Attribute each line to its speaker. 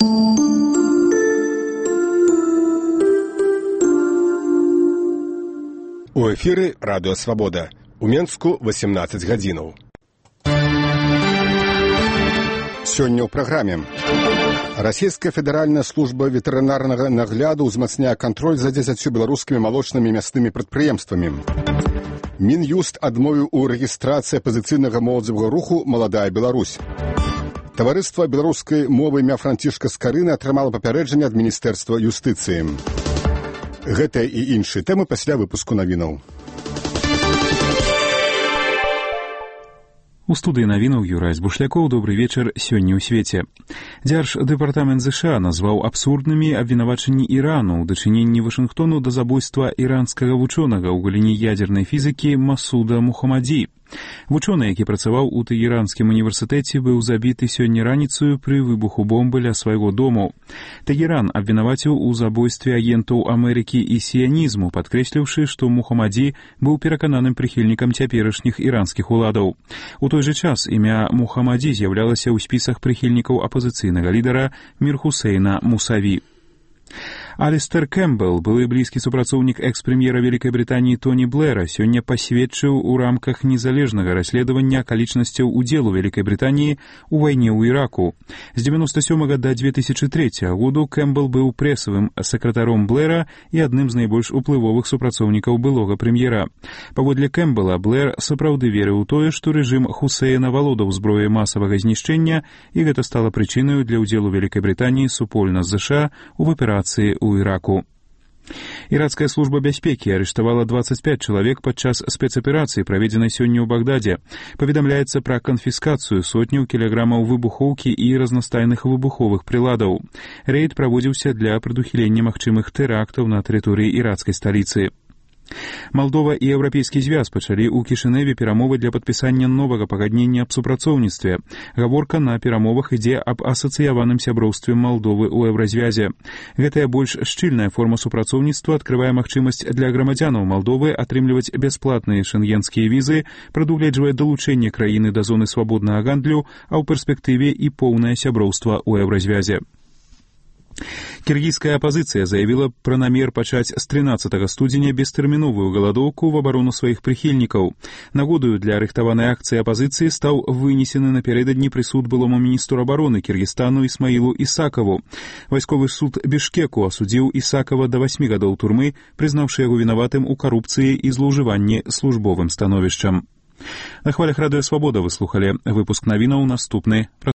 Speaker 1: У эфіры радыё «Свабода». У Менску 18 гадзінаў. Сёння ў праграме. Расійская федэральная служба ветэрынарнага нагляду ўзмацняе кантроль за 10 беларускімі малочнымі мяснымі прадпрыемствамі. Мін'юст адмовіў у рэгістрацыі апазіцыйнага моладзевага руху «Маладая Беларусь». Таварыства беларускай мовы імя Францішка Скарыны атрымала папярэджанне ад Міністэрства юстыцыі. Гэтыя і іншыя тэмы пасля выпуску навінаў.
Speaker 2: У студыі навінаў Юрай Збушлякоў. Добры вечар. Сёння ў свеце. Дзярждэпартамент ЗША назваў абсурднымі абвінавачанні Ірану ў дачыненні Вашынгтону да забойства іранскага вучонага ў галіне ядзернай фізікі Масуда Мухаммаді. Вучоны, які працаваў у Тэгеранскім універсітэце, быў забіты сёння раніцаю пры выбуху бомбы ля свайго дому. Тэгеран абвінаваціў у забойстве агентаў Амерыкі і сіянізму, падкрэсліўшы, што Мухаммаді быў перакананым прыхільнікам цяперашніх іранскіх уладаў. У той жа час імя Мухаммаді з'яўлялася ў спісах прыхільнікаў апазіцыйнага лідара Мір-Хусейна Мусаві. Алістер Кэмпбелл, былы блізкі супрацоўнік экс-прэм'ера Вялікай Брытаніі Тоні Блэра, сёння пасведчыў у рамках незалежнага расследавання акалічнасцяў удзелу Вялікай Брытаніі ў вайне ў Іраку. З 1997 да 2003 году Кэмпбелл быў прэсавым сакратаром Блэра і адным з найбольш уплывовых супрацоўнікаў былога прэм'ера. Паводле Кэмпбелла, Блэр сапраўды верыў у тое, што рэжым Хусейна валодаў зброяй масавага знішчэння, і гэта стала прычынаю для ўдзелу Вялікай Брытаніі супольна з ЗША ў аперацыі ў Іраку. Іракская служба бяспекі арыштавала 25 чалавек падчас спецаперацыі, праведзенай сёння ў Багдадзе. Паведамляецца пра канфіскацыю сотняў кілаграмаў выбухоўкі і разнастайных выбуховых прыладаў. Рэйд праводзіўся для прадухілення магчымых тэрактаў на тэрыторыі іракскай сталіцы. Малдова і Еўрапейскі звяз пачалі ў Кішыневе перамовы для падпісання новага пагаднення аб супрацоўніцтве. Гаворка на перамовах ідзе аб асацыяваным сяброўстве Малдовы ў Еўразвязе. Гэтая больш шчыльная форма супрацоўніцтва адкрывае магчымасць для грамадзянаў Малдовы атрымліваць бясплатныя шэнгенскія візы, прадугледжвае далучэнне краіны да зоны свабоднага гандлю, а ў перспектыве і поўнае сяброўства ў Еўразвязе. Кіргізская апазіцыя заявіла пра намер пачаць з 13 студзеня бестэрміновую галадоўку в абарону сваіх прыхільнікаў. Нагодаю для рыхтаванай акцыі апазіцыі стаў вынесены напярэдадні прысуд былому міністру абароны Кіргізстану Ісмаілу Ісакаву. Вайсковы суд Бішкеку асудзіў Ісакава да 8 гадоў турмы, прызнаўшы яго вінаватым у карупцыі і злоўжыванні службовым становішчам. На хвалях радыё «Свабода» вы слухалі выпуск навінаў. Наступны